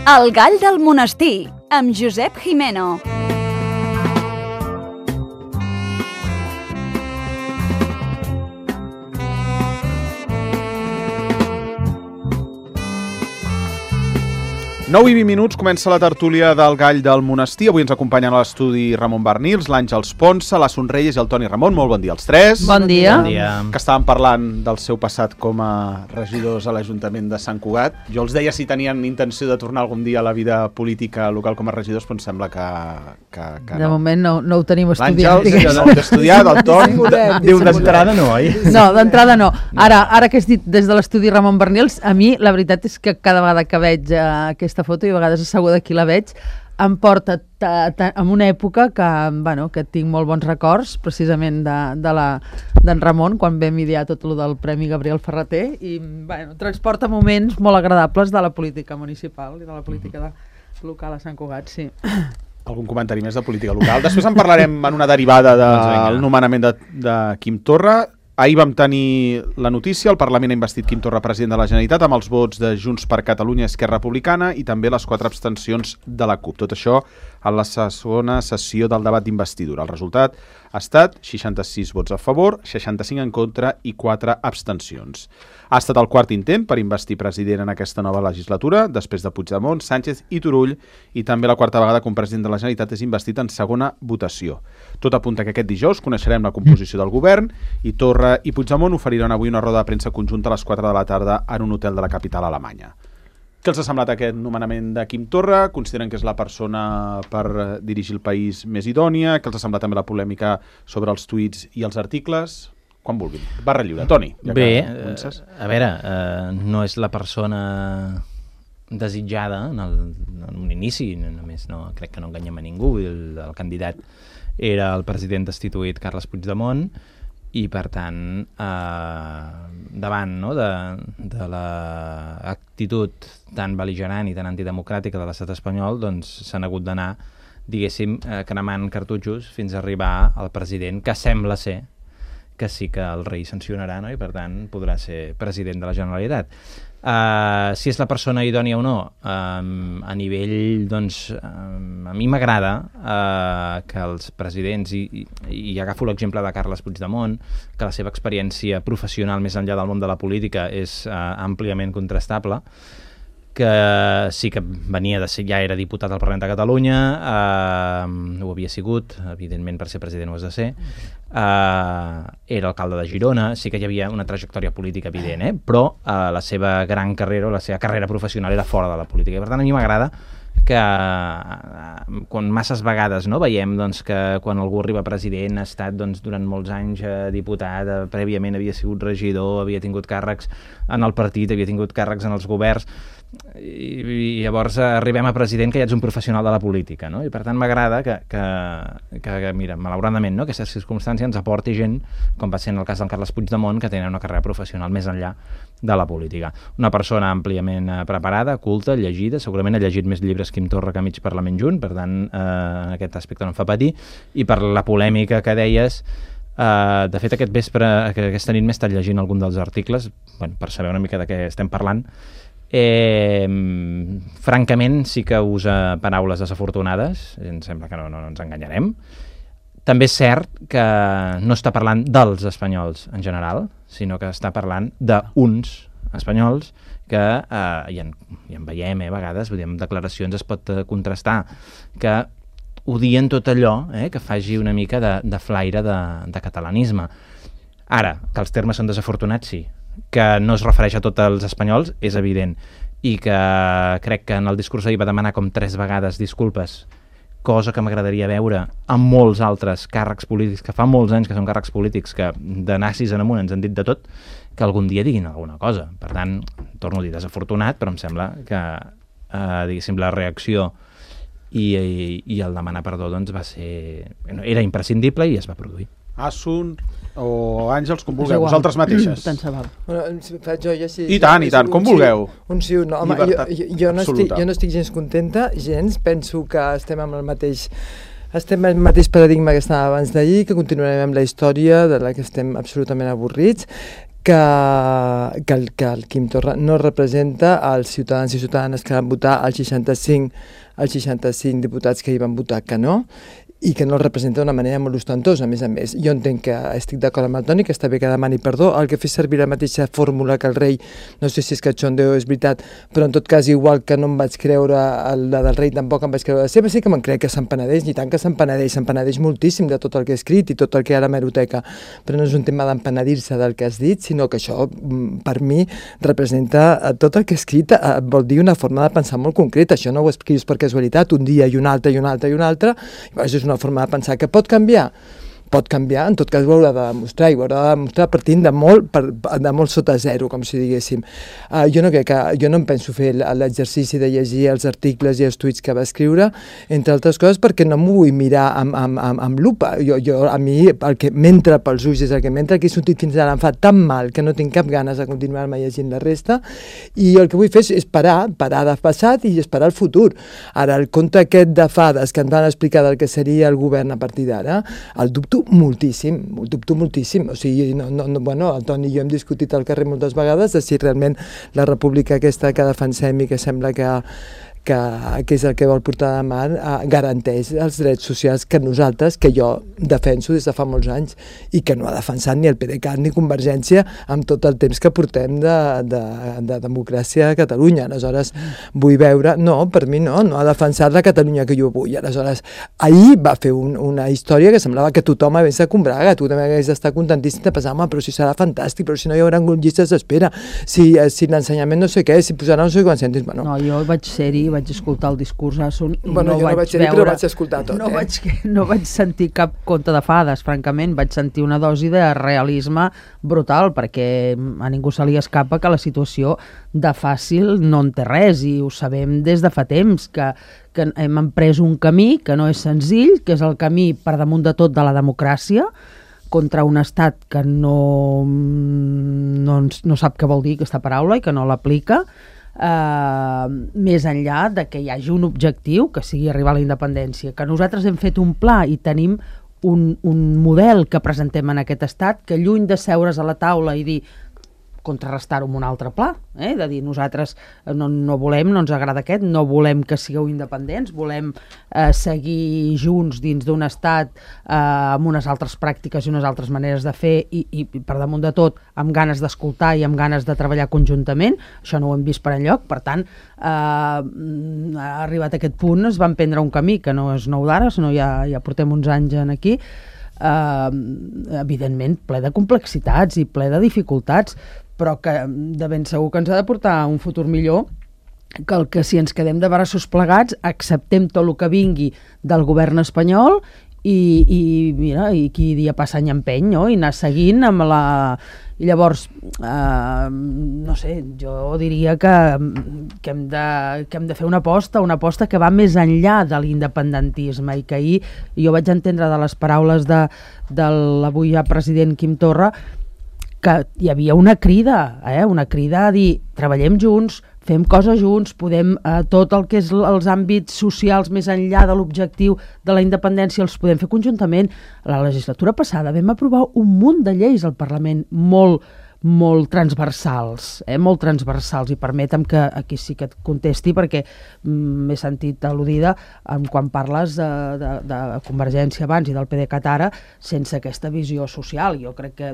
El gall del monestir, amb Josep Gimeno. Nou i 20 minuts, comença la tertúlia del gall del monestir. Avui ens acompanyen a l'estudi Ramon Barnils, l'Àngels Ponsa, la Sonrelles i el Toni Ramon. Molt bon dia als tres. Bon dia. Bon dia. Que estàvem parlant del seu passat com a regidors a l'Ajuntament de Sant Cugat. Jo els deia si tenien intenció de tornar algun dia a la vida política local com a regidors, però em sembla que De no. moment no ho tenim estudiat. L'Àngels, no l'he estudiat, el Toni... Diu d'entrada no, oi? No, d'entrada no. Ara que has dit des de l'estudi Ramon Barnils, a mi la veritat és que cada vegada que veig aquesta foto, i a vegades asseguda aquí la veig, em porta en una època que tinc molt bons records, precisament d'en Ramon, quan vam idear tot el del Premi Gabriel Ferrater, i transporta moments molt agradables de la política municipal i de la política local a Sant Cugat, sí. Algun comentari més de política local. Després en parlarem en una derivada del nomenament de Quim Torra. Ahir vam tenir la notícia, el Parlament ha investit Quim Torra president de la Generalitat amb els vots de Junts per Catalunya i Esquerra Republicana i també les 4 abstencions de la CUP. Tot això en la segona sessió del debat d'investidura. El resultat ha estat 66 vots a favor, 65 en contra i 4 abstencions. Ha estat el quart intent per investir president en aquesta nova legislatura, després de Puigdemont, Sánchez i Turull, i també la quarta vegada que un president de la Generalitat és investit en segona votació. Tot apunta que aquest dijous coneixerem la composició del govern i Torra i Puigdemont oferiran avui una roda de premsa conjunta a les 4 de la tarda en un hotel de la capital alemanya. Què els ha semblat aquest nomenament de Quim Torra? Consideren que és la persona per dirigir el país més idònia? Què els ha semblat també la polèmica sobre els tuits i els articles? Quan vulguin. Barra lliure. Toni. Bé, a veure, no és la persona desitjada en un inici, només crec que no enganyem a ningú. El candidat era el president destituït Carles Puigdemont i, per tant, davant de l'actitud tan bel·ligerant i tan antidemocràtica de l'estat espanyol, doncs s'han hagut d'anar, diguéssim, cremant cartutxos fins a arribar al president, que sembla ser que sí que el rei sancionarà, no? I per tant podrà ser president de la Generalitat. Si és la persona idònia o no, a nivell, doncs, a mi m'agrada que els presidents, i agafo l'exemple de Carles Puigdemont, que la seva experiència professional més enllà del món de la política és àmpliament contrastable, que sí que venia de ser, ja era diputat al Parlament de Catalunya, ho havia sigut, evidentment per ser president ho has de ser, era alcalde de Girona, sí que hi havia una trajectòria política evident, però la seva gran carrera, la seva carrera professional era fora de la política, i per tant a mi m'agrada que quan masses vegades veiem que quan algú arriba president ha estat durant molts anys diputat, prèviament havia sigut regidor, havia tingut càrrecs en el partit, havia tingut càrrecs en els governs, i llavors arribem a president que ja ets un professional de la política, no? I per tant m'agrada que mira, malauradament, no? Aquesta circumstància ens aporti gent, com va ser en el cas del Carles Puigdemont, que tenen una carrera professional més enllà de la política. Una persona àmpliament preparada, culta, llegida, segurament ha llegit més llibres Quim Torra que mig Parlament junt, per tant en aquest aspecte no em fa patir, i per la polèmica que deies, de fet aquest vespre, aquesta nit m'he estat llegint algun dels articles, per saber una mica de què estem parlant. Francament sí que usa paraules desafortunades, em sembla que no ens enganyarem. També és cert que no està parlant dels espanyols en general, sinó que està parlant d'uns espanyols que i en veiem a vegades, amb declaracions es pot contrastar, que odien tot allò que faci una mica de flaire de catalanisme. Ara, que els termes són desafortunats, sí. Que no es refereix a tots els espanyols, és evident, i que crec que en el discurs ahir va demanar com 3 vegades disculpes, cosa que m'agradaria veure amb molts altres càrrecs polítics, que fa molts anys que són càrrecs polítics, que de nazis en amunt ens han dit de tot, que algun dia diguin alguna cosa. Per tant, torno a dir desafortunat, però em sembla que, diguéssim, la reacció i el demanar perdó doncs va ser... era imprescindible i es va produir. Asun o Àngels, com vulgueu, vosaltres mateixes. Tant se val. Faig jo ja sí. I tant, com vulgueu. Un sí, un no. Home, jo no estic gens contenta, gens. Penso que estem amb el mateix paradigma que estava abans d'ahir, que continuarem amb la història de la que estem absolutament avorrits, que el Quim Torra no representa els ciutadans i ciutadanes que van votar els 65 diputats que hi van votar que no, i que no el representa d'una manera molt ostentosa, a més. Jo entenc que estic d'acord amb el Toni, que està bé que demani perdó, el que fa servir la mateixa fórmula que el rei, no sé si és cachondeo o és veritat, però en tot cas, igual que no em vaig creure la del rei, tampoc em vaig creure la seva, sí que me'n crec que se'n penedeix, ni tant que se'n penedeix moltíssim de tot el que he escrit i tot el que hi ha a l'hemeroteca, però no és un tema d'empenedir-se del que has dit, sinó que això, per mi, representa tot el que he escrit, vol dir una forma de pensar molt concreta, això no ho escrius per casualitat, un dia i un altre, i un altre, i un altre, i és una forma de pensar que pot canviar, en tot cas ho haurà de demostrar, i ho haurà de demostrar partint de molt sota zero, com si diguéssim. Jo no em penso fer l'exercici de llegir els articles i els tuits que va escriure, entre altres coses perquè no m'ho vull mirar amb lupa. A mi el que m'entra pels ulls és el que m'entra, que he sortit fins ara, em fa tan mal que no tinc cap ganes de continuar-me llegint la resta, i el que vull fer és parar del passat i esperar el futur. Ara, el conte aquest de fades que ens van explicar del que seria el govern a partir d'ara, el dubto moltíssim. O sigui, el Toni i jo hem discutit al carrer moltes vegades de si realment la república aquesta que defensem i que sembla que és el que vol portar de mà, garanteix els drets socials que nosaltres, que jo defenso des de fa molts anys i que no ha defensat ni el PDeCAT ni Convergència amb tot el temps que portem de democràcia a Catalunya. Aleshores, vull veure... No, per mi no ha defensat la Catalunya que jo vull. Aleshores, ahir va fer una història que semblava que tothom hagués de combraga, tu també hagués d'estar contentíssim de pensar, però si serà fantàstic, però si no hi haurà llistes d'espera, si l'ensenyament no sé què, si posarà no sé quants cèntims... No, jo vaig ser-hi, vaig escoltar el discurs Assun i jo no vaig ser-hi, però vaig escoltar tot. No vaig sentir cap conte de fades, francament. Vaig sentir una dosi de realisme brutal, perquè a ningú se li escapa que la situació de fàcil no en té res, i ho sabem des de fa temps, que hem emprès un camí que no és senzill, que és el camí per damunt de tot de la democràcia, contra un estat que no sap què vol dir aquesta paraula i que no l'aplica, més enllà de que hi hagi un objectiu, que sigui arribar a la independència, que nosaltres hem fet un pla i tenim un model que presentem en aquest estat, que lluny de seure's a la taula i dir contrarrestar-ho amb un altre pla, de dir nosaltres no volem, no ens agrada aquest, no volem que sigueu independents, volem seguir junts dins d'un estat amb unes altres pràctiques i unes altres maneres de fer i per damunt de tot amb ganes d'escoltar i amb ganes de treballar conjuntament. Això no ho hem vist per enlloc, per tant arribat a aquest punt es va emprendre un camí que no és nou d'ara, sinó ja portem uns anys aquí, evidentment ple de complexitats i ple de dificultats, però que de ben segur que ens ha de portar a un futur millor, que si ens quedem de braços plegats acceptem tot el que vingui del govern espanyol i qui dia passa any empeny, no? I anar seguint amb la... I llavors, no sé, jo diria que hem de fer una aposta que va més enllà de l'independentisme, i que ahir jo vaig entendre de les paraules de l'avui ja president Quim Torra que hi havia una crida a dir treballem junts, fem coses junts, podem tot el que és els àmbits socials més enllà de l'objectiu de la independència els podem fer conjuntament. La legislatura passada vam aprovar un munt de lleis al Parlament molt transversals, i permetem que aquí sí que et contesti perquè m'he sentit al·ludida quan parles de Convergència abans i del PDeCAT ara sense aquesta visió social. Jo crec que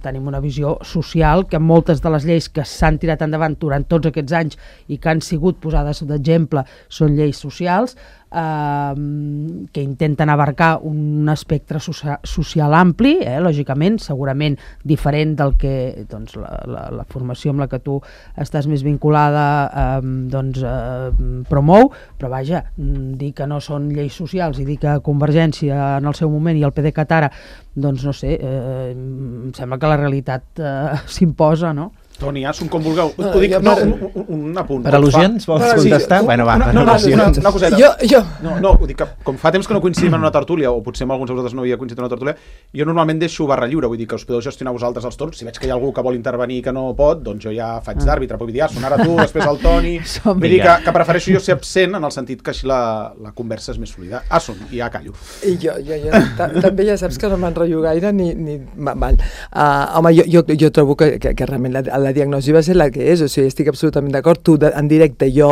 tenim una visió social que moltes de les lleis que s'han tirat endavant durant tots aquests anys i que han sigut posades d'exemple són lleis socials que intenten abarcar un espectre social ampli, lògicament, segurament diferent del que la formació amb la que tu estàs més vinculada promou, però vaja, dir que no són lleis socials i dir que Convergència en el seu moment i el PDeCAT ara, doncs no sé, em sembla que la realitat s'imposa, no? Toni, Assun, com vulgueu. Ho dic, un apunt. Per al·lusions vols contestar? Bueno, va, per al·lusions. Una coseta. Jo. No, ho dic que com fa temps que no coincidim en una tertúlia, o potser amb alguns de vosaltres no havia coincidit en una tertúlia, jo normalment deixo barra lliure, vull dir que us podeu gestionar vosaltres els torns. Si veig que hi ha algú que vol intervenir i que no pot, doncs jo ja faig d'àrbitre, però vull dir, Assun, ara tu, després el Toni... Vull dir que prefereixo jo ser absent en el sentit que així la conversa és més fluida. Assun, i ja callo. I jo també ja saps que no m'enrotllo gaire ni... Home, jo trobo que realment la diagnosi va ser la que és, o sigui, estic absolutament d'acord. Tu en directe, jo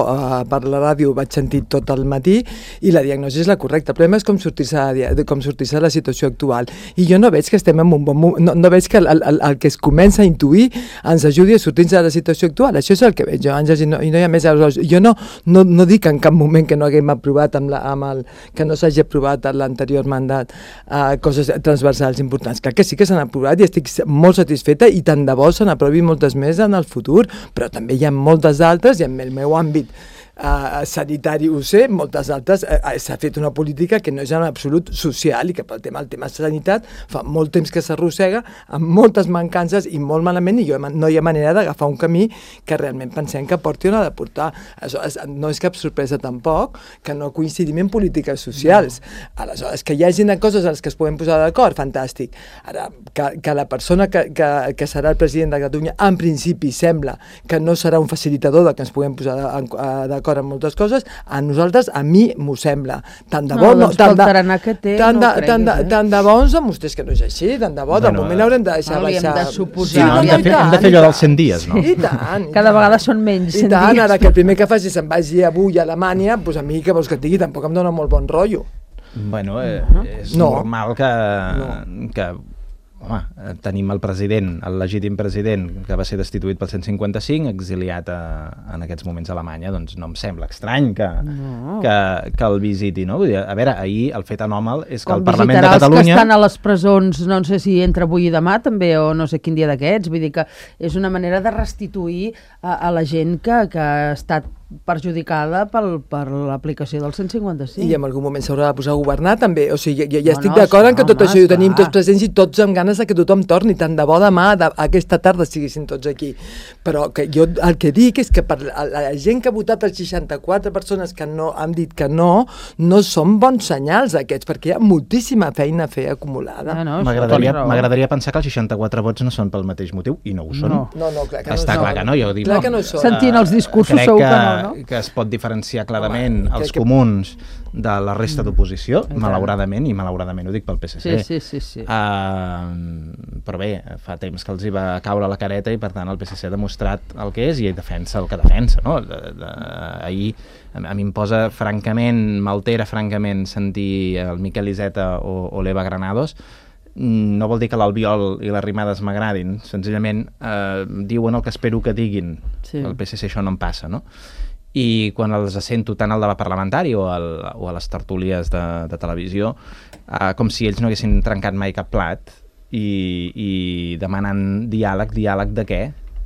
per la ràdio vaig sentir tot el matí i la diagnosi és la correcta. El problema és com sortir-se de la situació actual. I jo no veig que estem en un bon moment, no veig que el que es comença a intuir ens ajudi a sortir-se de la situació actual. Això és el que veig jo, Àngels, i no hi ha més. Jo no dic en cap moment que no haguem aprovat que no s'hagi aprovat en l'anterior mandat coses transversals importants. Clar que sí que s'han aprovat i estic molt satisfeta i tant de bo se n'aprovi moltes més en el futur, però també hi ha moltes altres i en el meu àmbit sanitari ho sé, moltes altres s'ha fet una política que no és en absolut social i que pel el tema sanitat fa molt temps que s'arrossega amb moltes mancances i molt malament i no hi ha manera d'agafar un camí que realment pensem que porti on ha de portar. No és cap sorpresa tampoc que no coincidim en polítiques socials. Aleshores, que hi hagi coses en les que es podem posar d'acord, fantàstic. Ara, que la persona que serà el president de Catalunya en principi sembla que no serà un facilitador de que ens puguem posar d'acord en moltes coses, a nosaltres, a mi m'ho sembla. Tant de bo, tant de bo ens demostrés que no és així, tant de bo, de moment haurem de deixar baixar. Hem de suposar. Hem de fer allò dels 100 dies, no? I tant. Cada vegada són menys 100 dies. I tant, ara que el primer que faci se'n vagi avui a Alemanya, doncs a mi, que vols que et digui, tampoc em dona molt bon rotllo. Bueno, és normal que home, tenim el president, el legítim president, que va ser destituït pel 155, exiliat en aquests moments a Alemanya, doncs no em sembla estrany que el visiti, no? Vull dir, a veure, ahir el fet anòmal és que el Parlament de Catalunya... Els que estan a les presons, no sé si entre avui i demà també, o no sé quin dia d'aquests, vull dir que és una manera de restituir a la gent que ha estat perjudicada per l'aplicació del 155. I en algun moment s'haurà de posar a governar també, o sigui, ja estic d'acord en que tot això ho tenim tots presents i tots amb ganes de que tothom torni, tant de bo demà, aquesta tarda siguessin tots aquí, però que jo el que dic és que per la gent que ha votat, els 64 persones que no han dit que no són bons senyals aquests, perquè hi ha moltíssima feina a fer acumulada. M'agradaria pensar que els 64 vots no són pel mateix motiu, i no ho són. No, clar que no són. Està clar que no, jo dic... Clar que no són. Sentint els discursos segur que no. Que es pot diferenciar clarament els comuns de la resta d'oposició, malauradament, i malauradament ho dic pel PSC. Sí. Però bé, fa temps que els hi va caure la careta i per tant el PSC ha demostrat el que és i defensa el que defensa, no? Ahir a mi em posa francament, m'altera francament sentir el Miquel Iceta o l'Eva Granados. No vol dir que l'Albiol i les Rimades m'agradin, senzillament diuen el que espero que diguin. El PSC això no em passa, no? I quan els sento tant al debat parlamentari o a les tertúlies de televisió, com si ells no haguessin trencat mai cap plat i demanant diàleg de què?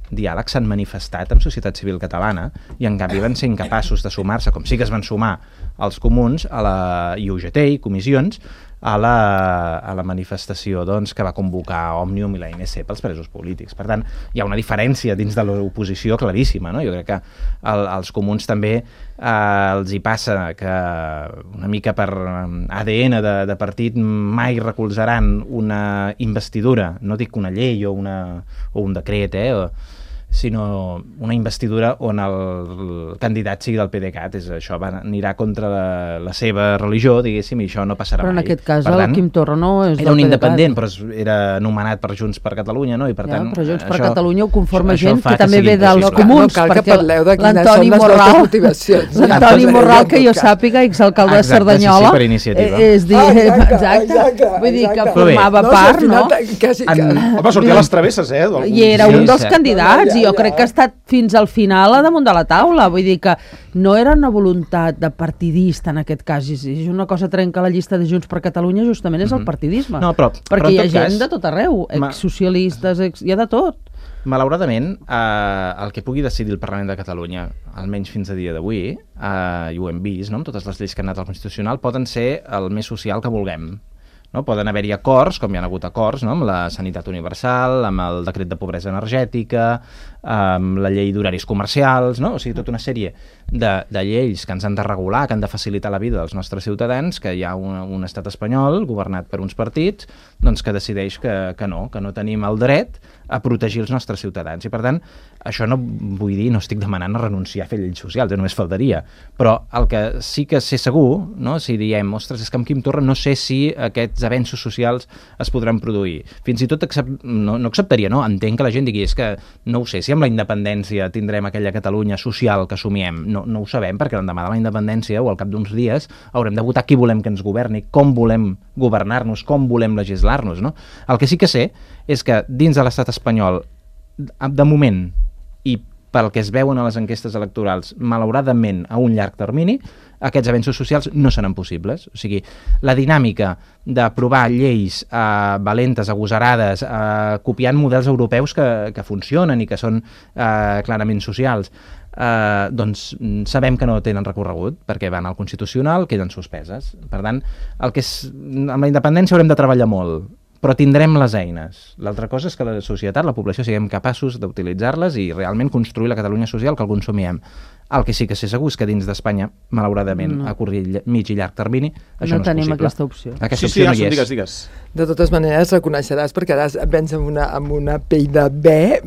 Diàleg s'han manifestat amb societat civil catalana i en canvi van ser incapaços de sumar-se, com sí que es van sumar els comuns a la UGT i comissions a la manifestació que va convocar Òmnium i la INC pels presos polítics. Per tant, hi ha una diferència dins de l'oposició claríssima, no? Jo crec que als comuns també els hi passa que una mica per ADN de partit mai recolzaran una investidura, no dic una llei o un decret, sinó una investidura on el candidat sigui del PDeCAT. Això anirà contra la seva religió, diguéssim, i això no passarà mai. Però en aquest cas el Quim Torra no és del PDeCAT. Era un independent, però era nomenat per Junts per Catalunya, no? I per tant, però Junts per Catalunya ho conforma gent que també ve dels comuns, perquè cal que parleu de quines són les vostres motivacions. L'Antoni Morral, que jo sàpiga, exalcalde de Cerdanyola, per iniciativa. Exacte, vull dir que formava part, no? Home, sortia a les travesses, I era un dels candidats, i jo crec que ha estat fins al final a damunt de la taula, vull dir que no era una voluntat de partidista en aquest cas, és una cosa trenca la llista de Junts per Catalunya, justament és el partidisme, perquè hi ha gent de tot arreu, exsocialistes, hi ha de tot. Malauradament, el que pugui decidir el Parlament de Catalunya, almenys fins a dia d'avui, i ho hem vist, no? Amb totes les lleis que han anat al Constitucional, poden ser el més social que vulguem. No? Poden haver-hi acords, com hi ha hagut acords, no? Amb la sanitat universal, amb el decret de pobresa energètica, amb la llei d'horaris comercials, no? O sigui, tota una sèrie de lleis que ens han de regular, que han de facilitar la vida dels nostres ciutadans, que hi ha un estat espanyol governat per uns partits doncs, que decideix que no tenim el dret a protegir els nostres ciutadans. I per tant, això no vull dir, no estic demanant a renunciar a fer lleis socials, només faltaria, però el que sí que sé segur, no? Si diem, ostres, és que amb Quim Torra no sé si aquests avenços socials es podran produir. Fins i tot no acceptaria, no? Entenc que la gent digui, és que no ho sé, si amb la independència tindrem aquella Catalunya social que somiem, no ho sabem, perquè l'endemà de la independència o al cap d'uns dies haurem de votar qui volem que ens governi, com volem governar-nos, com volem legislar-nos, no? El que sí que sé és que dins de l'estat espanyol, de moment, i pel que es veuen a les enquestes electorals, malauradament a un llarg termini, aquests avenços socials no seran possibles. O sigui, la dinàmica d'aprovar lleis valentes, agosarades, copiant models europeus que funcionen i que són clarament socials, doncs sabem que no tenen recorregut perquè van al Constitucional, queden suspeses. Per tant, amb la independència haurem de treballar molt, però tindrem les eines. L'altra cosa és que la societat, la població, siguem capaços d'utilitzar-les i realment construir la Catalunya social que el consumiem. El que sí que sé segur és que dins d'Espanya, malauradament, a curt, mig i llarg termini, això no és possible. No tenim aquesta opció. Aquesta opció no hi és. Digues. De totes maneres, reconeixeràs, perquè ara vens amb una pell de bé,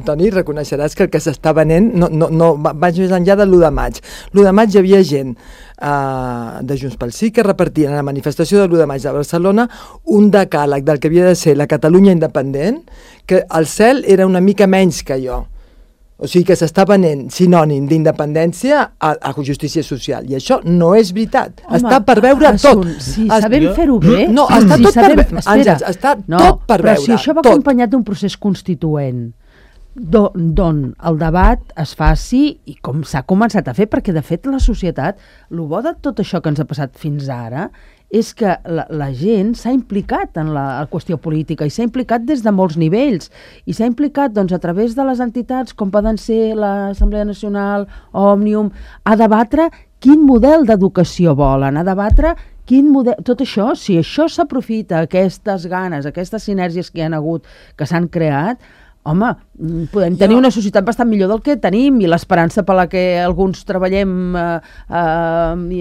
Toni, reconeixeràs que el que s'està venent no vaig més enllà de l'1 de maig. L'1 de maig hi havia gent de Junts pel Sí que repartien a la manifestació de l'1 de maig de Barcelona un decàleg del que havia de ser la Catalunya independent, que el cel era una mica menys que allò. O sigui que s'està venent sinònim d'independència a justícia social. I això no és veritat. Home, està per veure tot. Si sabem fer-ho bé... No, està tot per veure. Àngels, està tot per veure. Però si això va acompanyat d'un procés constituent, d'on el debat es faci i com s'ha començat a fer, perquè de fet la societat, el bo de tot això que ens ha passat fins ara és que la gent s'ha implicat en la qüestió política i s'ha implicat des de molts nivells i s'ha implicat doncs, a través de les entitats com poden ser l'Assemblea Nacional, Òmnium, a debatre quin model d'educació volen, a debatre quin model... Tot això, si això s'aprofita, aquestes ganes, aquestes sinergies que hi ha hagut, que s'han creat, home, podem tenir una societat bastant millor del que tenim i l'esperança per la que alguns treballem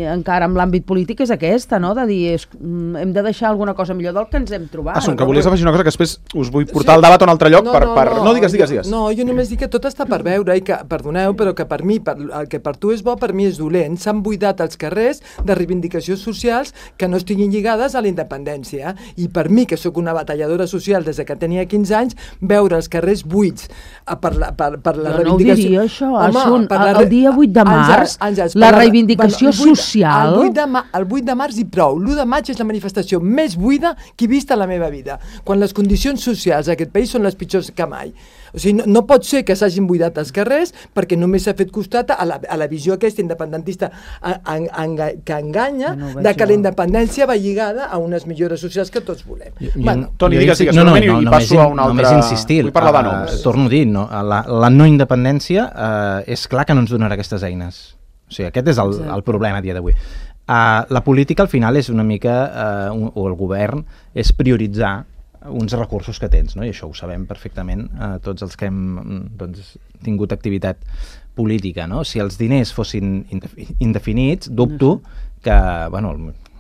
encara en l'àmbit polític és aquesta, no? De dir, hem de deixar alguna cosa millor del que ens hem trobat. Com que volies afegir una cosa que després us vull portar el debat a un altre lloc No, digues. No, jo només dic que tot està per veure i que, perdoneu, però que per mi, el que per tu és bo, per mi és dolent. S'han buidat els carrers de reivindicacions socials que no estiguin lligades a la independència. I per mi, que sóc una batalladora social des que tenia 15 anys, veure els carrers buits per la reivindicació... No ho diria això, el dia 8 de març, la reivindicació social... El 8 de març i prou. L'1 de maig és la manifestació més buida que he vist a la meva vida, quan les condicions socials d'aquest país són les pitjors que mai. O sigui, no pot ser que s'hagin buidat els carrers perquè només s'ha fet costat a la visió aquesta independentista que enganya de que la independència va lligada a unes millores socials que tots volem. Toni, digues, i passo a un altre... Només insistir, vull parlar de noms. Torno a dir, la no independència és clar que no ens donarà aquestes eines. O sigui, aquest és el problema a dia d'avui. La política al final és una mica, o el govern, és prioritzar uns recursos que tens, no? I això ho sabem perfectament tots els que hem tingut activitat política, no? Si els diners fossin indefinits, dubto que,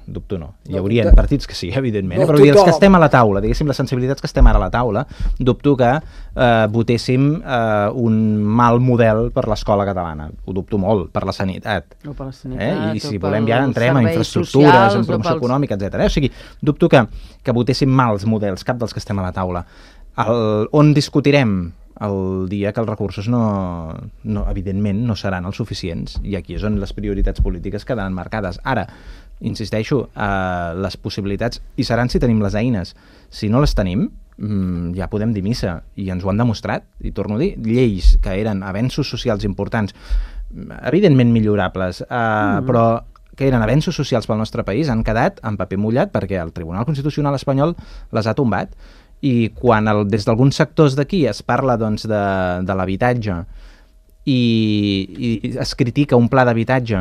dubto no, hi haurien partits que sí, evidentment, però els que estem a la taula, diguéssim, les sensibilitats que estem ara a la taula, dubto que votéssim un mal model per l'escola catalana, ho dubto molt, per la sanitat. O per la sanitat, i si volem ja entrem a infraestructures, en promoció econòmica, etc. O sigui, dubto que votéssim mals models, cap dels que estem a la taula. On discutirem el dia que els recursos evidentment no seran els suficients, i aquí és on les prioritats polítiques quedaran marcades. Ara, insisteixo, les possibilitats hi seran si tenim les eines. Si no les tenim, ja podem dir missa, i ens ho han demostrat, i torno a dir, lleis que eren avenços socials importants, evidentment millorables, però que eren avenços socials pel nostre país, han quedat en paper mullat perquè el Tribunal Constitucional espanyol les ha tombat. I quan des d'alguns sectors d'aquí es parla de l'habitatge i es critica un pla d'habitatge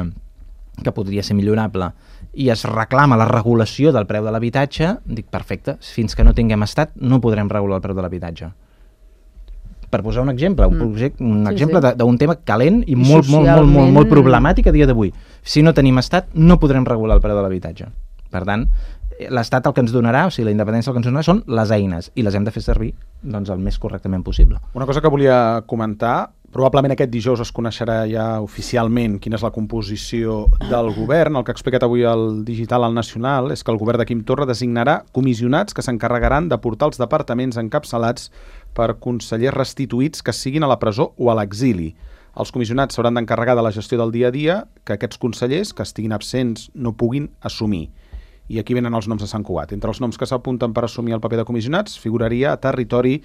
que podria ser millorable i es reclama la regulació del preu de l'habitatge, dic, perfecte, fins que no tinguem estat no podrem regular el preu de l'habitatge. Per posar un exemple, un exemple d'un tema calent i molt problemàtic a dia d'avui. Si no tenim estat, no podrem regular el preu de l'habitatge. Per tant, l'estat el que ens donarà, o sigui, la independència el que ens donarà són les eines, i les hem de fer servir doncs, el més correctament possible. Una cosa que volia comentar, probablement aquest dijous es coneixerà ja oficialment quina és la composició del govern. El que ha explicat avui el Digital al Nacional és que el govern de Quim Torra designarà comissionats que s'encarregaran de portar els departaments encapçalats per consellers restituïts que siguin a la presó o a l'exili. Els comissionats s'hauran d'encarregar de la gestió del dia a dia que aquests consellers que estiguin absents no puguin assumir. I aquí venen els noms de Sant Cugat. Entre els noms que s'apunten per assumir el paper de comissionats figuraria a territori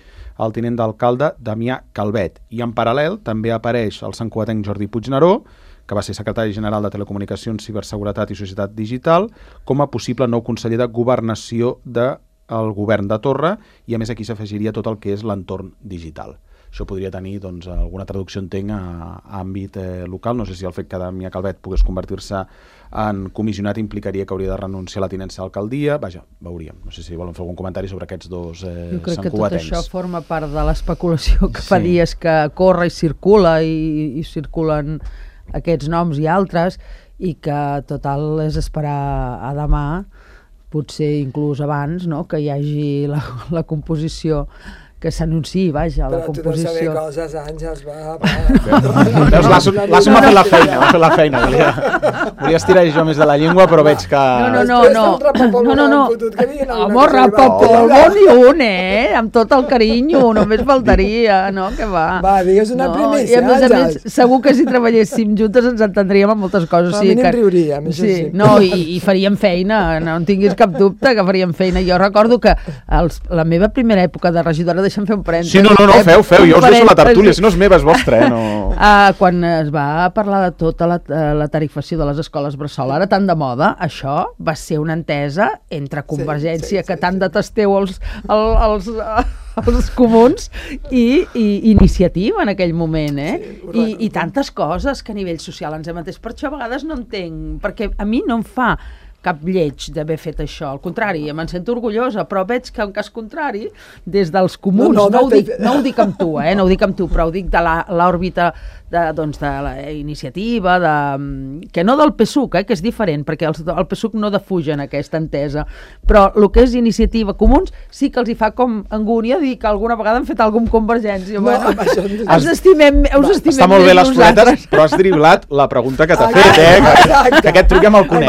el tinent d'alcalde Damià Calvet. I en paral·lel també apareix el santcugatenc Jordi Puigneró, que va ser secretari general de Telecomunicacions, Ciberseguretat i Societat Digital, com a possible nou conseller de Governació del govern de Torra, i a més aquí s'afegiria tot el que és l'entorn digital. Això podria tenir doncs, alguna traducció, entenc, a àmbit local. No sé si el fet que Damià Calvet pogués convertir-se en comissionat implicaria que hauria de renunciar a la tinença d'alcaldia. Vaja, veuríem. No sé si volen fer algun comentari sobre aquests dos santcugatencs. Jo crec que tot això forma part de l'especulació que fa dies que corre i circula i circulen aquests noms i altres, i que total és esperar a demà, potser inclús abans, no?, que hi hagi la composició, que s'anunciï, vaja, la composició. Però tu no saber coses, Àngels, va. L'Asso m'ha fet la feina, volia estirar jo més de la llengua, però veig que... No. Home, rapapolvo ni un, amb tot el carinyo, només faltaria, no, que va. Va, digues una primícia, Àngels. I a més, segur que si treballéssim juntes ens entendríem en moltes coses. A mi n'hi riuríem, això sí. No, i faríem feina, no en tinguis cap dubte que faríem feina. Jo recordo que la meva primera època de regidora, deixa'm fer un parèntesi. Sí, no, feu, jo us deixo la tertúlia, si no és meva, és vostra, no... Quan es va parlar de tota la tarifació de les escoles bressol, ara tan de moda, això va ser una entesa entre Convergència, que tant detesteu els comuns, i Iniciativa en aquell moment, i tantes coses que a nivell social ens hem entès. Per això a vegades no entenc, perquè a mi no em fa cap lleig d'haver fet això, al contrari, me'n sento orgullosa, però veig que en cas contrari, des dels comuns, no ho dic amb tu, no ho dic amb tu, però ho dic de l'òrbita de la Iniciativa, que no del PSUC, que és diferent, perquè el PSUC no defugen aquesta entesa, però el que és Iniciativa Comuns sí que els hi fa com angúnia dir que alguna vegada han fet alguna cosa amb Convergència. Us estimem està molt bé les floretes, però has driblat la pregunta que t'ha fet, que aquest truc ja me'l conec,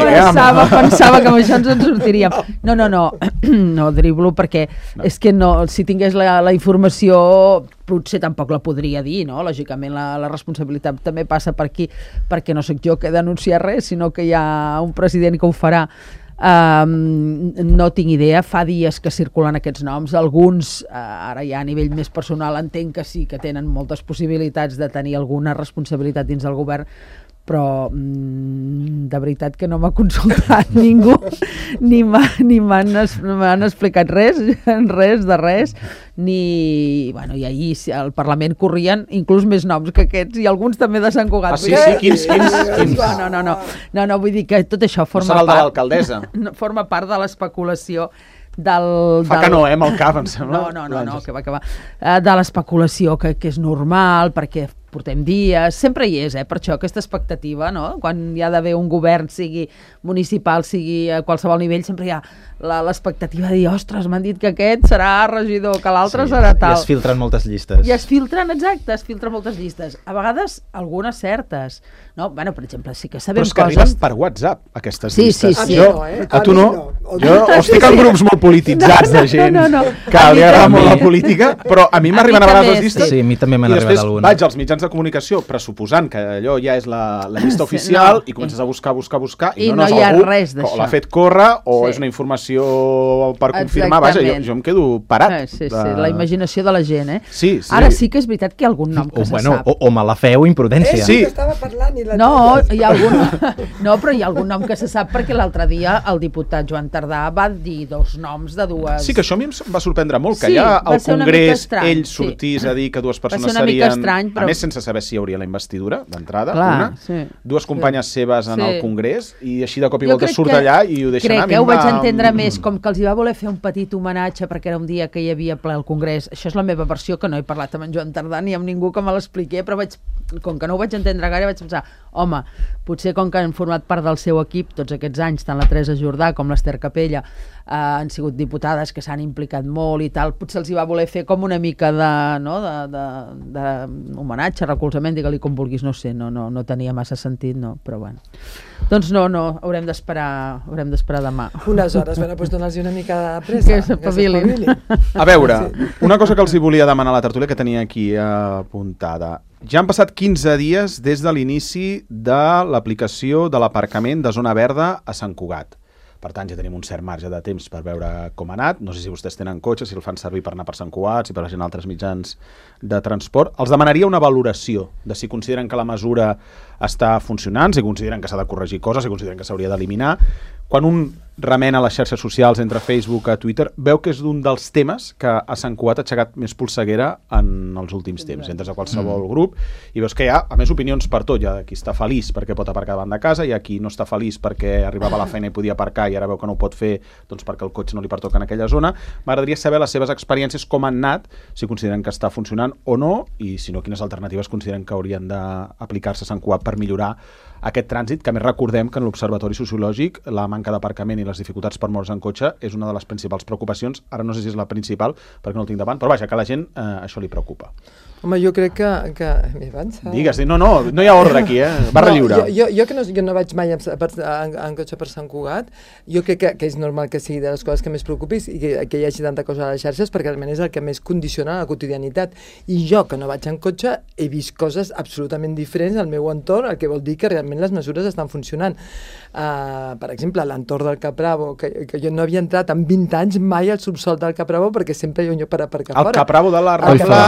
pensava que amb això ens en sortiríem. No driblo, perquè és que si tingués la informació potser tampoc la podria dir, no? Lògicament la responsabilitat també passa per aquí, perquè no sóc jo que he d'anunciar res, sinó que hi ha un president que ho farà. No tinc idea, fa dies que circulen aquests noms, alguns ara ja a nivell més personal entenc que sí que tenen moltes possibilitats de tenir alguna responsabilitat dins del govern, però de veritat que no m'ha consultat ningú, ni m'han explicat res, ni... Bueno, i ahir al Parlament corrien inclús més noms que aquests, i alguns també de Sant Cugat. Sí, quins? No, vull dir que tot això forma part... No serà el de l'alcaldessa? Forma part de l'especulació Fa que no, amb el cap, em sembla. No, que va. De l'especulació, que és normal, perquè portem dies, sempre hi és, per això aquesta expectativa, no? Quan hi ha d'haver un govern, sigui municipal, sigui a qualsevol nivell, sempre hi ha l'expectativa de dir, ostres, m'han dit que aquest serà regidor, que l'altre serà tal. I es filtren moltes llistes. Es filtren moltes llistes. A vegades, algunes certes. No? Bueno, per exemple, sí que sabem coses... Però és que arribes per WhatsApp, aquestes llistes. Sí. A tu no? Jo estic en grups molt polititzats de gent que li agrada molt la política, però a mi m'arriben a vegades les llistes. Sí, a mi també m'han arribat alguna. I després vaig als mitjans de comunicació pressuposant que allò ja és la llista oficial i comences a buscar i no hi ha res d'això. O l'ha fet córrer o és una informació per confirmar. Vaja, jo em quedo parat. Sí, la imaginació de la gent, Sí. Ara sí que és veritat que hi ha algun nom que se sap. O mala fe o imprudència. Sí, que estava parlant i la... Hi ha algun nom que se sap, perquè l'altre dia el diputat Joan Tardà va dir 2 noms de dues... Sí, que això a mi em va sorprendre molt, que Sí, ja va al ser una mica Congrés estrany, ell sí. sortís a dir que dues persones una mica serien... estrany, però- A més, sense saber si hi hauria la investidura, d'entrada, Clar, una. sí. Dues companyes seves en Sí. el Congrés, i així de cop i Jo volta crec surt que- allà i ho deixen anar. Crec que ho vaig entendre més com que els hi va voler fer un petit homenatge perquè era un dia que hi havia ple al Congrés. Això és la meva versió, que no he parlat amb en Joan Tardà ni amb ningú que me l'expliqui, però com que no ho vaig entendre gaire, vaig pensar, home, potser com que han format part del seu equip tots aquests anys, tant la Teresa Jordà com l'Ester Capella, han sigut diputades que s'han implicat molt i tal, potser els hi va voler fer com una mica de homenatge, recolzament, digue-li com vulguis, no sé, no tenia massa sentit, no, però bueno. Doncs no, haurem d'esperar demà. Unes hores, bueno, doncs dona'ls una mica de pressa. Que s'espavilin. A veure, una cosa que els hi volia demanar a la tertúlia que tenia aquí apuntada. Ja han passat 15 dies des de l'inici de l'aplicació de l'aparcament de zona verda a Sant Cugat. Per tant, ja tenim un cert marge de temps per veure com ha anat. No sé si vostès tenen cotxe, si el fan servir per anar per Sant Cugat, si per gent altres mitjans de transport. Els demanaria una valoració de si consideren que la mesura està funcionant, si consideren que s'ha de corregir coses, si consideren que s'hauria d'eliminar. Quan un remena les xarxes socials entre Facebook i Twitter, veu que és d'un dels temes que a Sant Cugat ha aixecat més polseguera en els últims temps. Entres a qualsevol grup i veus que hi ha, a més, opinions per tot. Hi ha qui està feliç perquè pot aparcar davant de casa, hi ha qui no està feliç perquè arribava a la feina i podia aparcar i ara veu que no ho pot fer doncs perquè el cotxe no li pertoca en aquella zona. M'agradaria saber les seves experiències, com han anat, si consideren que està funcionant o no, i si no, quines alternatives consideren que haurien d'aplicar-se a Sant Cugat per millorar aquest trànsit, que a més recordem que en l'Observatori Sociològic la manca d'aparcament i les dificultats per moure's en cotxe és una de les principals preocupacions. Ara no sé si és la principal, perquè no el tinc davant, però vaja, que a la gent això li preocupa. Home, jo crec que... M'he avançat. Digues, no hi ha ordre aquí, barra lliure. Jo que no vaig mai en cotxe per Sant Cugat, jo crec que és normal que sigui de les coses que més preocupis i que hi hagi tanta cosa a les xarxes, perquè realment és el que més condiciona la quotidianitat. I jo, que no vaig en cotxe, he vist coses absolutament diferents al meu entorn, el que vol dir que realment les mesures estan funcionant. Per exemple, a l'entorn del Capravo, que jo no havia entrat en 20 anys mai al subsol del Capravo perquè sempre hi ha un lloc per aparcar fora. El Capravo de la Rambla...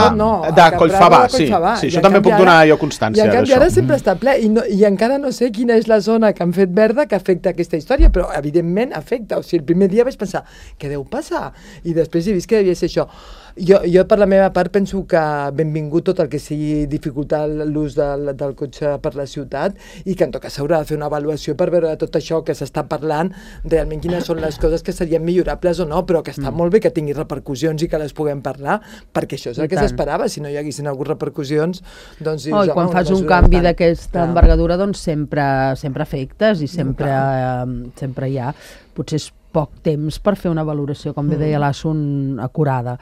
de Collfabà, sí. Això també puc donar jo constància d'això. I en canvi ara sempre està ple i encara no sé quina és la zona que han fet verda que afecta aquesta història, però evidentment afecta. O sigui, el primer dia vaig pensar, què deu passar? I després he vist que devia ser això. Jo per la meva part penso que benvingut tot el que sigui dificultar l'ús del cotxe per la ciutat i que en tot cas s'haurà de fer una avaluació per veure tot això que s'està parlant, realment quines són les coses que serien millorables o no, però que està molt bé que tingui repercussions i que les puguem parlar, perquè això és el que s'esperava. Si no hi haguessin hagut repercussions, doncs... I quan fas un canvi d'aquesta envergadura, doncs sempre afectes i sempre hi ha. Potser és poc temps per fer una valoració, com bé deia l'Assun, acurada.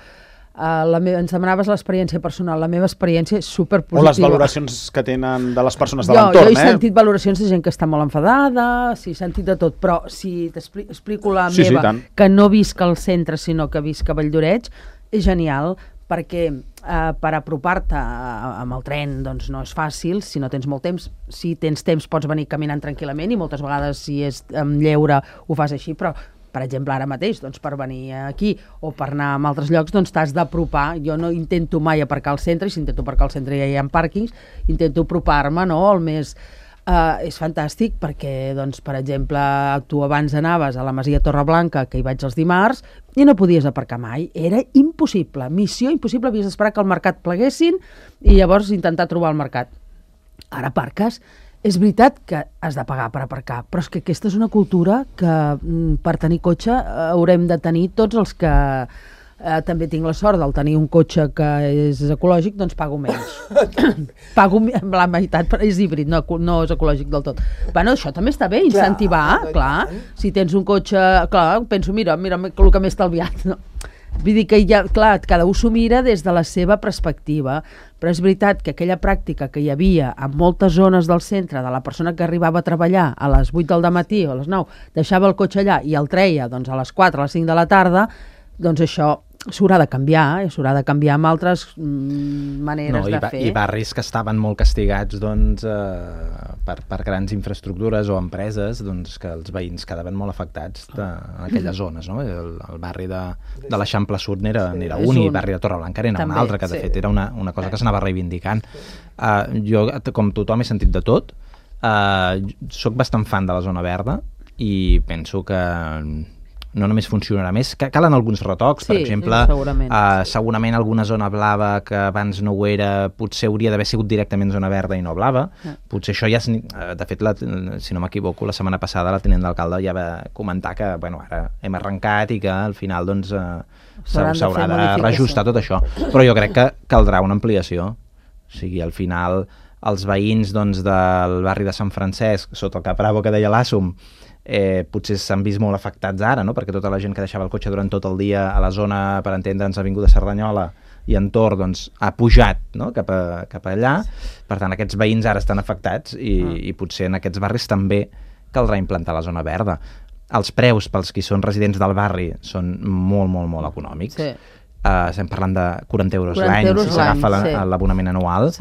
Ens demanaves l'experiència personal. La meva experiència és superpositiva. O les valoracions que tenen de les persones de l'entorn. Jo he sentit valoracions de gent que està molt enfadada, sí, he sentit de tot, però si t'explico la meva, que no visc al centre, sinó que visc a Valldoreix, és genial, perquè per apropar-te amb el tren doncs no és fàcil, si no tens molt temps. Si tens temps pots venir caminant tranquil·lament i moltes vegades si és amb lleure ho fas així, però per exemple, ara mateix, doncs, per venir aquí o per anar a altres llocs, doncs t'has d'apropar. Jo no intento mai aparcar al centre, i si intento aparcar al centre ja hi ha pàrquings, intento apropar-me, no?, el més... és fantàstic perquè, doncs, per exemple, tu abans anaves a la Masia Torreblanca, que hi vaig els dimarts, i no podies aparcar mai. Era impossible, missió impossible, havies d'esperar que el mercat pleguessin i llavors intentar trobar el mercat. Ara aparques. És veritat que has de pagar per aparcar, però és que aquesta és una cultura que per tenir cotxe haurem de tenir tots els que també tinc la sort del tenir un cotxe que és ecològic, doncs pago menys. Pago la meitat, però és híbrid, no és ecològic del tot. Bueno, això també està bé, incentivar, clar. Si tens un cotxe, clar, penso, mira el que m'he estalviat, no? Vull dir que ja, clar, cada un s'ho mira des de la seva perspectiva, però és veritat que aquella pràctica que hi havia en moltes zones del centre de la persona que arribava a treballar a les 8 del matí o a les 9, deixava el cotxe allà i el treia doncs, a les 4, a les 5 de la tarda, doncs això s'haurà de canviar, s'haurà de canviar amb altres maneres de fer. I barris que estaven molt castigats doncs, per grans infraestructures o empreses, doncs, que els veïns quedaven molt afectats en aquelles zones. No? El barri de l'Eixample Sud n'era un, i el barri de Torreblanca era un altre, que de fet era una cosa que s'anava reivindicant. Jo, com tothom, he sentit de tot. Soc bastant fan de la zona verda i penso que no només funcionarà més, calen alguns retocs, per exemple, segurament alguna zona blava que abans no ho era, potser hauria d'haver sigut directament zona verda i no blava, potser això ja, de fet, si no m'equivoco, la setmana passada la tinent d'alcalde ja va comentar que, bueno, ara hem arrencat i que al final, doncs, s'haurà de reajustar tot això, però jo crec que caldrà una ampliació, o sigui, al final els veïns, doncs, del barri de Sant Francesc, sota el Cap Bravo que deia l'Àssum, potser s'han vist molt afectats ara, no? Perquè tota la gent que deixava el cotxe durant tot el dia a la zona, per entendre'ns, Avinguda Cerdanyola i entorn, doncs, ha pujat, no? cap allà. Per tant, aquests veïns ara estan afectats i potser en aquests barris també caldrà implantar la zona verda. Els preus pels qui són residents del barri són molt, molt, molt econòmics. Estem parlant de 40 euros l'any si s'agafa l'abonament anual.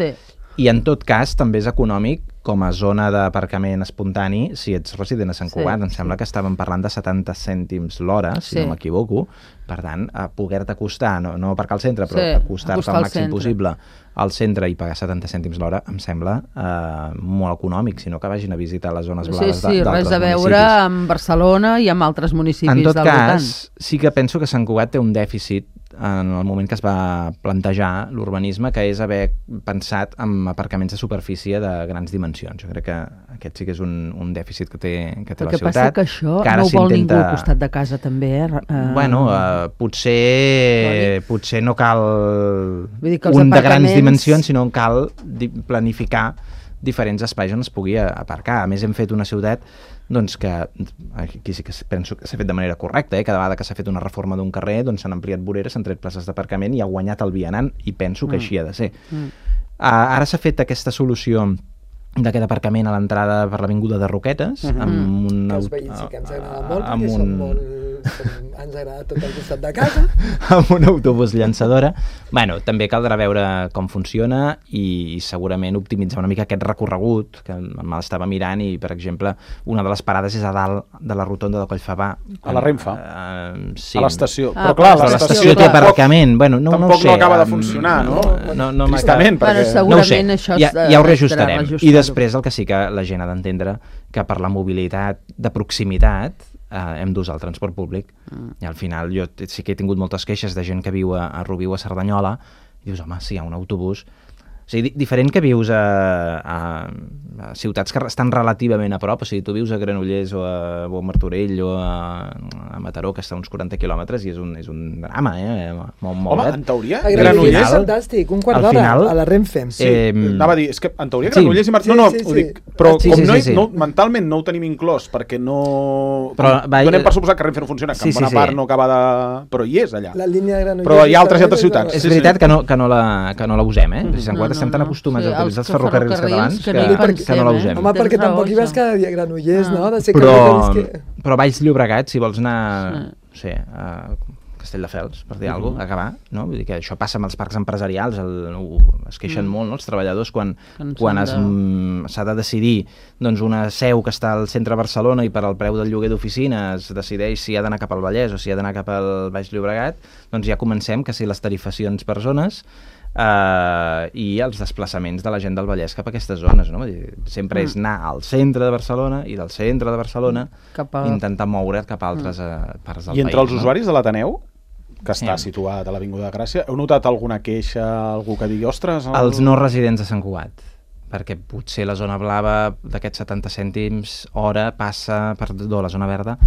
I en tot cas també és econòmic com a zona d'aparcament espontani si ets resident a Sant Cugat. Em sembla que estàvem parlant de 70 cèntims l'hora, si no m'equivoco. Per tant, poder-te acostar, no aparcar al centre, però acostar-te al màxim possible al centre i pagar 70 cèntims l'hora em sembla molt econòmic, sinó que vagin a visitar les zones blaves d'altres municipis. Res a veure amb Barcelona i amb altres municipis del voltant. En tot cas, sí que penso que Sant Cugat té un dèficit en el moment que es va plantejar l'urbanisme, que és haver pensat en aparcaments de superfície de grans dimensions. Jo crec que aquest sí que és un dèficit que té la ciutat. El que passa que això no ho vol ningú al costat de casa, també, Bueno, potser no cal un de grans dimensions, sinó cal planificar diferents espais on es pugui aparcar. A més, hem fet una ciutat doncs que aquí sí que penso que s'ha fet de manera correcta, cada vegada que s'ha fet una reforma d'un carrer doncs s'han ampliat voreres, s'han tret places d'aparcament i ha guanyat el vianant, i penso que així ha de ser. Ara s'ha fet aquesta solució d'aquest aparcament a l'entrada per l'Avinguda de Roquetes amb un... Que els veïns sí que ens agrada molt, perquè som molt... ens agrada tot el costat de casa. Amb un autobús llançadora. Bueno, també caldrà veure com funciona i segurament optimitzar una mica aquest recorregut, que me l'estava mirant, i, per exemple, una de les parades és a dalt de la rotonda de Collfabà. A la Renfe? Sí. A l'estació. Però clar, l'estació té aparcament. Bueno, tampoc no acaba de funcionar, no? Tristament, perquè... Segurament això ja ho reajustarem. I després el que sí que la gent ha d'entendre que per la mobilitat de proximitat hem d'usar el transport públic. I al final jo sí que he tingut moltes queixes de gent que viu a Rubí o a Cerdanyola i dius, home, si hi ha un autobús... O sigui, diferent que vius a ciutats que estan relativament a prop, o sigui, tu vius a Granollers o a Martorell o a Mataró, que està a uns 40 quilòmetres, i és un drama, Home, en teoria... A Granollers és fantàstic, un quart d'hora a la Renfe. Anava a dir, és que en teoria Granollers i Martorell... No, ho dic, però com mentalment no ho tenim inclòs, perquè no... Donem per suposat que Renfe no funciona, que en bona part no acaba de... Però hi és allà. La línia de Granollers... Però hi ha altres ciutats. És veritat que no la usem, Sant Cugat estem tan acostumats a utilitzar els ferrocarrils catalans que no la usem. Home, perquè tampoc hi vas cada dia a Granollers, no? Però Valls Llobregat, si vols anar a Castelldefels, per dir alguna cosa, acabar, no? Vull dir que això passa amb els parcs empresarials, es queixen molt, no?, els treballadors quan s'ha de decidir doncs una seu que està al centre de Barcelona i per al preu del lloguer d'oficina es decideix si ha d'anar cap al Vallès o si ha d'anar cap al Baix Llobregat, doncs ja comencem que si les tarifacions per zones i els desplaçaments de la gent del Vallès cap a aquestes zones, no? Sempre és anar al centre de Barcelona i del centre de Barcelona intentar moure't cap a altres parts del país. I entre els usuaris de l'Ateneu, que està situat a l'Avinguda de Gràcia, heu notat alguna queixa, algú que digui, ostres... Els no residents de Sant Cugat, perquè potser la zona blava d'aquests 70 cèntims hora passa, perdó, la zona verda...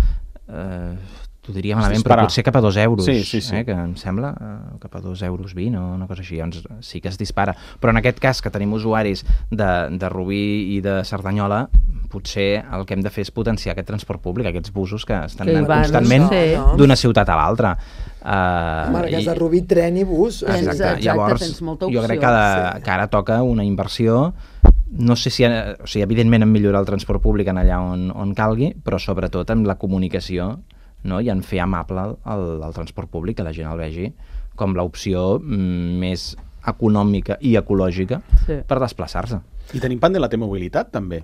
t'ho diria malament, però potser cap a 2 euros, que em sembla, cap a 2 euros 20 o una cosa així, doncs sí que es dispara. Però en aquest cas, que tenim usuaris de Rubí i de Cerdanyola, potser el que hem de fer és potenciar aquest transport públic, aquests busos que estan anant constantment d'una ciutat a l'altra. Marques de Rubí, tren i bus. Exacte, llavors jo crec que ara toca una inversió. No sé si, evidentment, en millorar el transport públic en allà on calgui, però sobretot en la comunicació, no? I en fer amable el transport públic, que la gent el vegi com l'opció més econòmica i ecològica per desplaçar-se. I tenim pendent la T-mobilitat, també.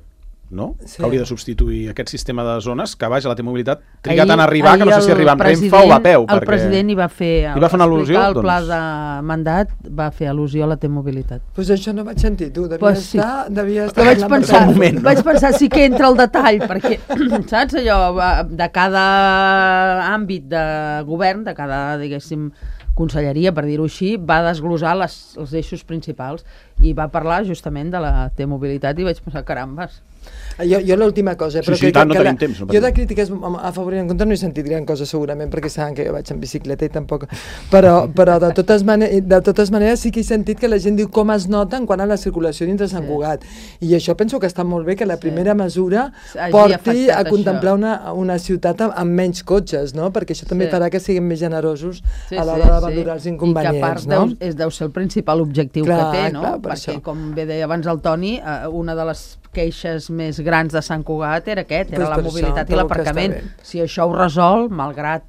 no? Sí. Que hauria de substituir aquest sistema de zones, que vaja, la T-mobilitat triga tant a arribar que no sé si arriba amb Renfe o va a peu. El president hi va fer... Hi va fer una al·lusió? El pla de mandat va fer al·lusió a la T-mobilitat. Doncs això no vaig sentir, tu. Devia estar Vaig pensar, moment, no? vaig pensar sí que entra el detall, perquè, saps, allò, de cada àmbit de govern, de cada, diguéssim, conselleria, per dir-ho així, va desglossar els eixos principals i va parlar justament de la T-mobilitat i vaig pensar, carambes. Jo l'última cosa... Sí, tant, no tenim temps. Jo de crítiques a favor i en contra no he sentit gran cosa segurament, perquè saben que jo vaig en bicicleta i tampoc... Però de totes maneres sí que he sentit que la gent diu com es nota en quant a la circulació dintre Sant Cugat. I això penso que està molt bé que la primera mesura porti a contemplar una ciutat amb menys cotxes, no? Perquè això també farà que siguin més generosos a l'hora de valorar els inconvenients. I que a part deu ser el principal objectiu que té, no? Perquè, com bé deia abans el Toni, una de les queixes més grans de Sant Cugat era la mobilitat i l'aparcament. Si això ho resol, malgrat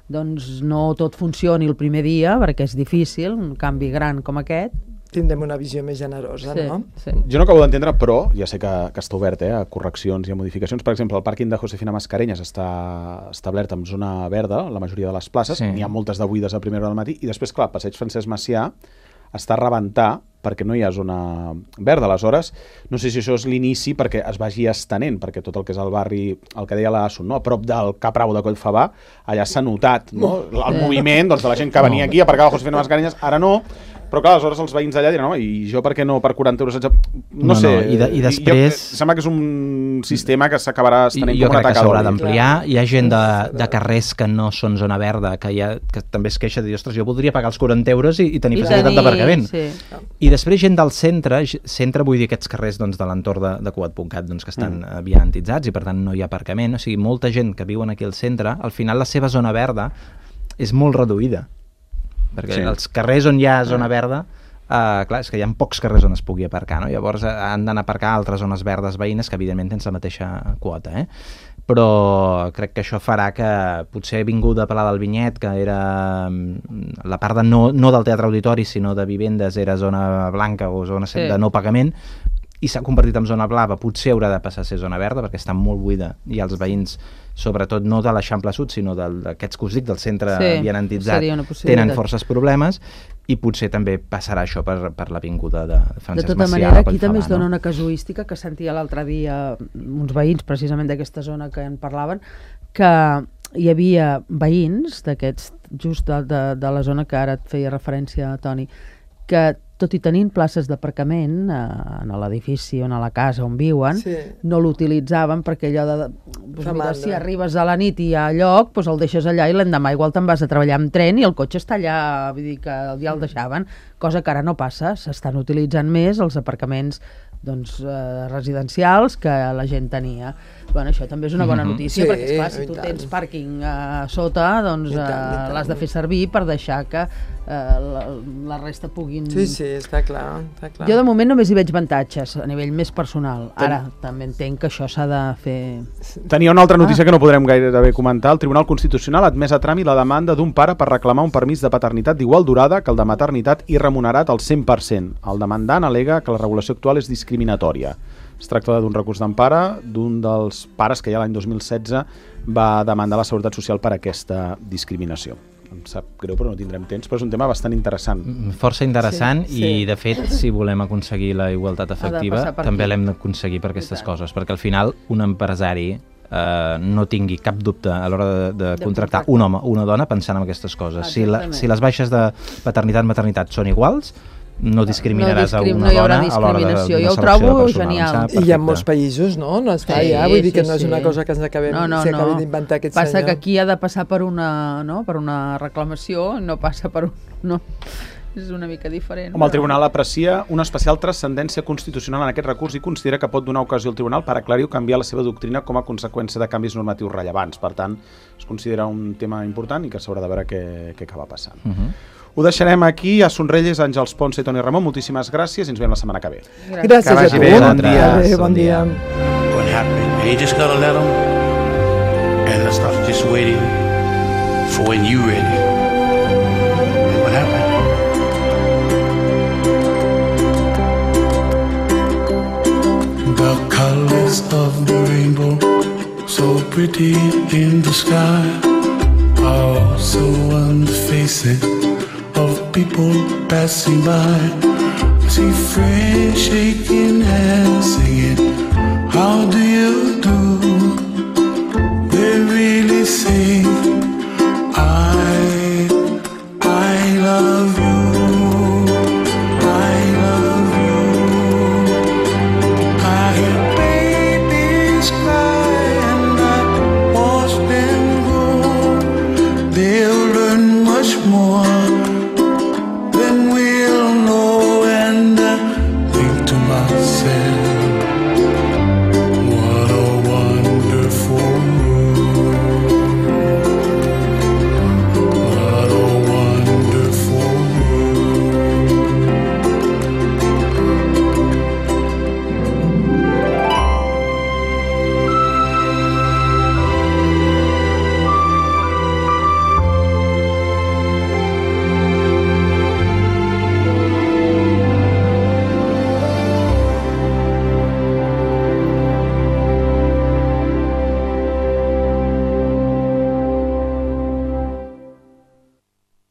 doncs, no tot funcioni el primer dia, perquè és difícil, un canvi gran com aquest, tindrem una visió més generosa, no? Sí. Jo no acabo d'entendre, però ja sé que està obert a correccions i a modificacions. Per exemple, el pàrquing de Josefina Mascareñas està establert en zona verda, la majoria de les places, n'hi ha moltes de buides a primera hora del matí, i després, clar, Passeig Francesc Macià està a rebentar perquè no hi ha zona verda. Aleshores, no sé si això és l'inici perquè es vagi estenent, perquè tot el que és el barri, el que deia l'Assun, no? A prop del Cap Rau de Collfabà, allà s'ha notat, no? El moviment de la gent que venia aquí, aparcava Josefina Mascareñas, ara no, però clar, aleshores els veïns d'allà diran, i jo per què no per 40 euros? No sé, i després... Sembla que és un sistema que s'acabarà estenent com una taca d'oli. Jo crec que s'haurà d'ampliar. Hi ha gent de carrers que no són zona verda, que també es queixa de dir, ostres, jo voldria pagar els 40 euros i tenir facilitat d'aparcament. I després gent del centre vull dir aquests carrers de l'entorn de Cugat.cat que estan vianantitzats i per tant no hi ha aparcament. O sigui, molta gent que viuen aquí al centre, al final la seva zona verda és molt reduïda. Perquè els carrers on hi ha zona verda, clar, és que hi ha pocs carrers on es pugui aparcar, no? Llavors han d'anar a aparcar altres zones verdes veïnes que evidentment tens la mateixa quota, però crec que això farà que potser vingut de Palau del Vinyet, que era la part no del Teatre Auditori sinó de vivendes, era zona blanca o zona de no pagament, i s'ha convertit en zona blava, potser haurà de passar a ser zona verda perquè està molt buida i els veïns, sobretot no de l'Eixample Sud sinó d'aquests que us dic, del centre vianantitzat, tenen forces problemes i potser també passarà això per l'avinguda de Francesc Macià. De tota manera, aquí també es dona una casuística que sentia l'altre dia uns veïns precisament d'aquesta zona que en parlaven, que hi havia veïns d'aquests, just de la zona que ara et feia referència, Toni, que tot i tenint places d'aparcament en l'edifici o a la casa on viuen, no l'utilitzaven perquè allò de si arribes a la nit i hi ha lloc, doncs el deixes allà i l'endemà igual te'n vas a treballar amb tren i el cotxe està allà, vull dir que ja el deixaven, cosa que ara no passa, s'estan utilitzant més els aparcaments residencials que la gent tenia. Bueno, això també és una bona notícia, perquè esclar, si tu tens pàrquing a sota, doncs l'has de fer servir per deixar que la resta puguin... Sí, està clar. Jo de moment només hi veig avantatges a nivell més personal. Ara també entenc que això s'ha de fer... Tenia una altra notícia que no podrem gairebé comentar. El Tribunal Constitucional ha admès a tràmit la demanda d'un pare per reclamar un permís de paternitat d'igual durada que el de maternitat i remunerat al 100%. El demandant al·lega que la regulació actual és discriminatòria. Es tracta d'un recurs d'empara d'un dels pares que ja l'any 2016 va demandar la Seguretat Social per aquesta discriminació. Em sap greu, però no tindrem temps, però és un tema bastant interessant. Força interessant i, de fet, si volem aconseguir la igualtat efectiva, també l'hem d'aconseguir per aquestes coses, perquè al final un empresari no tingui cap dubte a l'hora de contractar un home o una dona pensant en aquestes coses. Si les baixes de paternitat-maternitat són iguals, no discriminaràs a una dona a l'hora d'una selecció de personal. Jo ho trobo genial. I hi ha molts països, no? No es fa ja, vull dir que no és una cosa que ens acabem d'inventar aquest senyor. Passa que aquí ha de passar per una reclamació, no passa per un... No. És una mica diferent. El Tribunal aprecia una especial transcendència constitucional en aquest recurs i considera que pot donar ocasió al Tribunal per aclarir o canviar la seva doctrina com a conseqüència de canvis normatius rellevants. Per tant, es considera un tema important i que s'haurà de veure què acaba passant. Ho deixarem aquí. A Sonrelles, Àngels Ponce i Toni Ramon, moltíssimes gràcies i ens veiem la setmana que ve. Gràcies a tu. Bon dia. What happened? And you just gotta let them and let's stop just waiting for when you ready. And what happened? The colors colors of the rainbow, so pretty in the sky, also on the faces of people passing by. I see friends shaking hands, singing, how do